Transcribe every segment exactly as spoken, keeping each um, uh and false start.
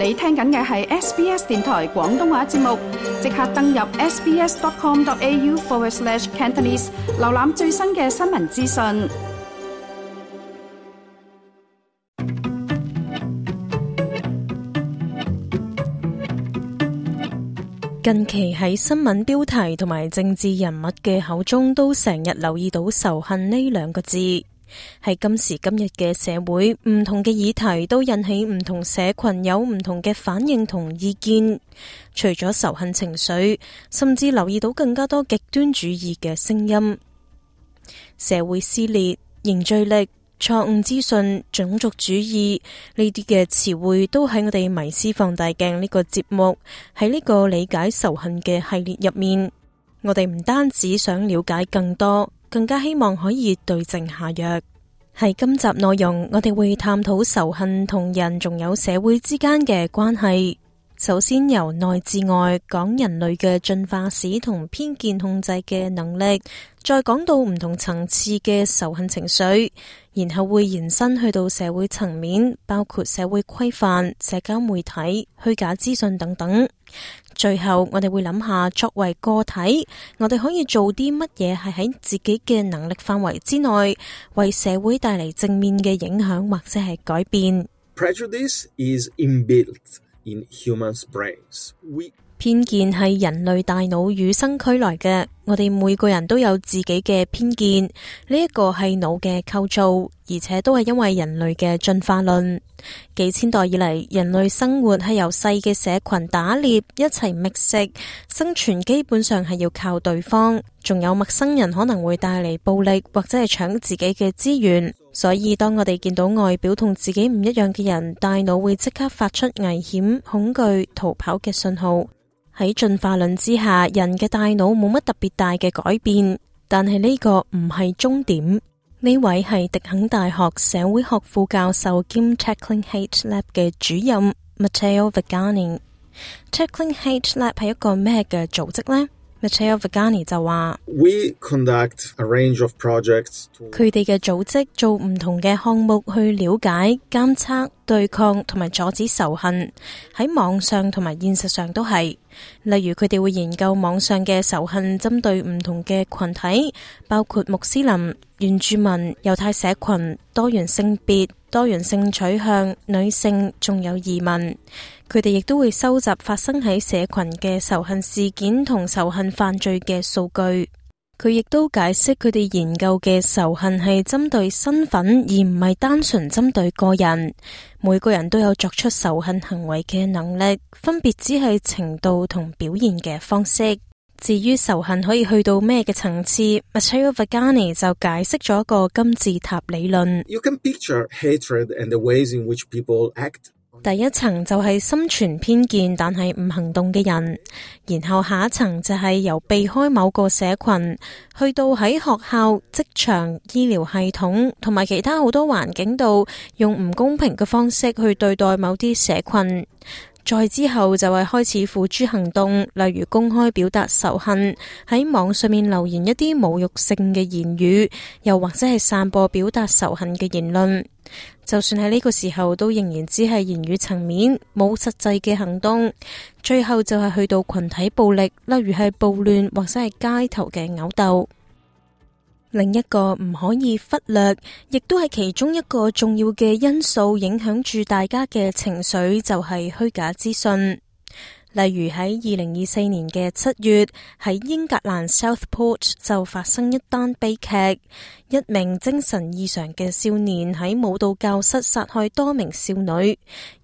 你聽緊嘅係 S B S 電台廣東話節目，即刻登入 sbs.com.au forward slash Cantonese， 瀏覽最新嘅新聞資訊。近期喺新聞標題同埋政治人物嘅口中，都成日留意到仇恨呢兩個字。喺今時今日嘅社會，唔同嘅議題都引起唔同社群有唔同嘅反應同意見。除咗仇恨情緒，甚至留意到更加多極端主義嘅聲音。社會撕裂、凝聚力、錯誤資訊、種族主義呢啲嘅詞彙都喺我哋迷思放大鏡呢個節目，喺呢個理解仇恨嘅系列入面，我哋唔單止想了解更多，更加希望可以對症下藥。喺今集內容，我哋會探討仇恨同人仲有社會之間嘅關係。首先由內至外講人類嘅進化史同偏見控制嘅能力，再講到唔同層次嘅仇恨情緒，然後會延伸去到社會層面，包括社會規範、社交媒體、虛假資訊等等。最後我哋會諗下，作為個體，我哋可以做啲乜嘢係喺自己嘅能力範圍之內，為社會帶嚟正面嘅影響或者係改變。 Prejudice is inbuilt in humans' brains. We... 偏見係人類大腦與生俱來嘅，我哋每個人都有自己嘅偏見，呢一個係腦嘅構造，而且都係因為人類嘅進化論。幾千代以嚟，人類生活係由細嘅社群打獵，一齊覓食，生存基本上係要靠對方，仲有陌生人可能會帶嚟暴力或者係搶自己嘅資源。所以當我哋見到外表同自己唔一樣嘅人，大腦會即刻發出危險、恐懼、逃跑嘅信號。喺進化論之下，人嘅大腦冇乜特別大嘅改變，但係呢個唔係終點。呢位係迪肯大學社會學副教授兼 Tackling Hate Lab 嘅主任 Matteo Vigani。Tackling Hate Lab 係一個咩嘅組織呢？Matteo Vigani 就話 We conduct a range of projects to... 佢哋嘅組織做唔同嘅項目去了解、監測、對抗同埋阻止仇恨，喺網上同埋現實上都係。例如佢哋會研究網上嘅仇恨針對唔同嘅群體，包括穆斯林、原住民、猶太社群、多元性別、多元性取向、女性，仲有移民。佢哋亦都會收集發生喺社群嘅仇恨事件同仇恨犯罪嘅數據。佢亦都解釋佢哋研究嘅仇恨係針對身份，而唔係單純針對個人。每個人都有作出仇恨行為嘅能力，分別只係程度同表現嘅方式。至於仇恨可以去到咩嘅層次， Matteo Vigani 就解釋咗一個金字塔理論。You can picture hatred and the ways in which people act. 第一層就係心存偏見但係唔行動嘅人，然後下一層就係由避開某個社群，去到喺學校、職場、醫療系統同埋其他好多環境度，用唔公平嘅方式去對待某啲社群。再之後就係開始付諸行動，例如公開表達仇恨，喺網上面留言一啲侮辱性嘅言語，又或者係散播表達仇恨嘅言論。就算喺呢個時候都仍然只係言語層面，冇實際嘅行動。最後就係去到群體暴力，例如係暴亂或者係街頭嘅毆鬥。另一個唔可以忽略，亦都係其中一個重要嘅因素，影響住大家嘅情緒，就係虛假資訊。例如喺二零二四年嘅七月，喺英格蘭 Southport 就發生一單悲劇，一名精神異常嘅少年喺舞蹈教室殺害多名少女，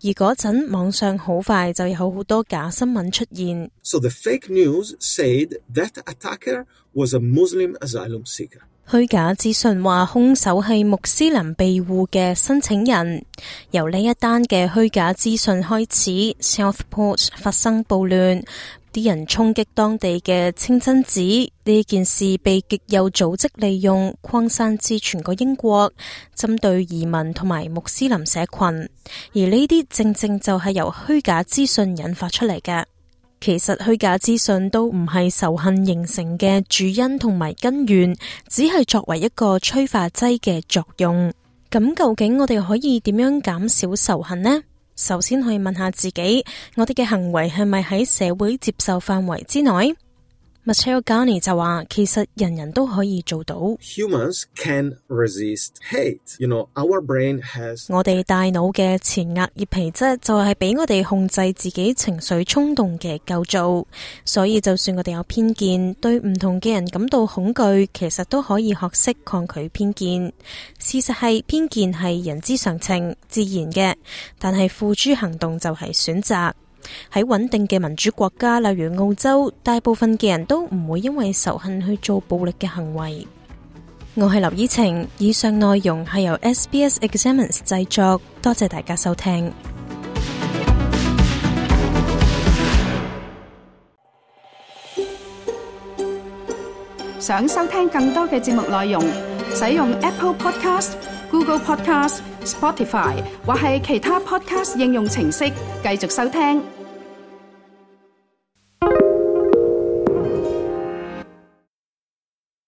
而嗰陣網上好快就有好多假新聞出現。So the fake news said that attacker was a Muslim asylum seeker. 虛假資訊話兇手係穆斯林庇護嘅申請人。由呢一單嘅虛假資訊開始， Southport 發生暴亂，啲人衝擊當地嘅清真寺，呢件事被極右組織利用，擴散至全個英國，針對移民同埋穆斯林社群。而呢啲正正就係由虛假資訊引發出嚟嘅。其實虛假資訊都唔係仇恨形成嘅主因同埋根源，只係作為一個催化劑嘅作用。咁究竟我哋可以點樣減少仇恨呢？首先可以問下自己，我哋嘅行為係咪喺社會接受範圍之內？ Matteo Garni 就話，其實人人都可以做到。Humans can resist hate. You know, our brain has... 我哋大腦嘅前額葉皮質就係俾我哋控制自己情緒衝動嘅構造，所以就算我哋有偏見，對唔同嘅人感到恐懼，其實都可以學識抗拒偏見。事實係偏見係人之常情，自然嘅，但係付諸行動就係選擇。喺穩定嘅民主國家，例如澳洲，大部分嘅人都唔會因為仇恨去做暴力嘅行為。我係劉依晴，以上內容係由 S B S Examines 製作，多謝大家收聽。想收聽更多嘅節目內容，使用 Apple Podcast、Google Podcast、Spotify 或係其他 Podcast 應用程式繼續收聽。